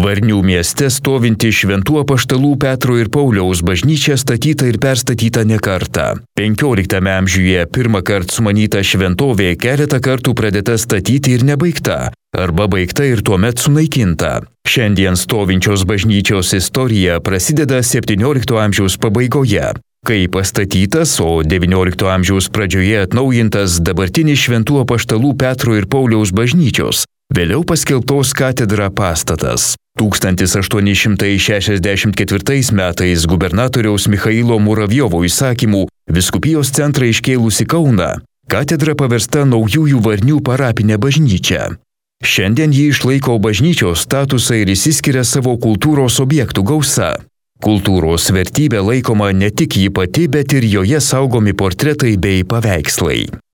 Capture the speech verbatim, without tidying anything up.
Varnių mieste stovinti Šventų apaštalų Petro ir Pauliaus bažnyčia statyta ir perstatyta ne kartą. penkioliktame amžiuje pirmą kartą sumanyta šventovė keletą kartų pradėta statyti ir nebaigta, arba baigta ir tuomet sunaikinta. Šiandien stovinčios bažnyčios istorija prasideda septyniolikto amžiaus pabaigoje, kai pastatytas, o devyniolikto amžiaus pradžioje atnaujintas dabartinis Šventų apaštalų Petro ir Pauliaus bažnyčios, vėliau paskelbtos katedra pastatas. tūkstantis aštuoni šimtai šešiasdešimt ketvirtais metais gubernatoriaus Michailo Muravjovo įsakymų vyskupijos centrą iškėlusi Kauną, katedra paversta Naujųjų Varnių parapinė bažnyčia. Šiandien ji išlaiko bažnyčios statusą ir išsiskiria savo kultūros objektų gausa. Kultūros vertybė laikoma ne tik ji pati, bet ir joje saugomi portretai bei paveikslai.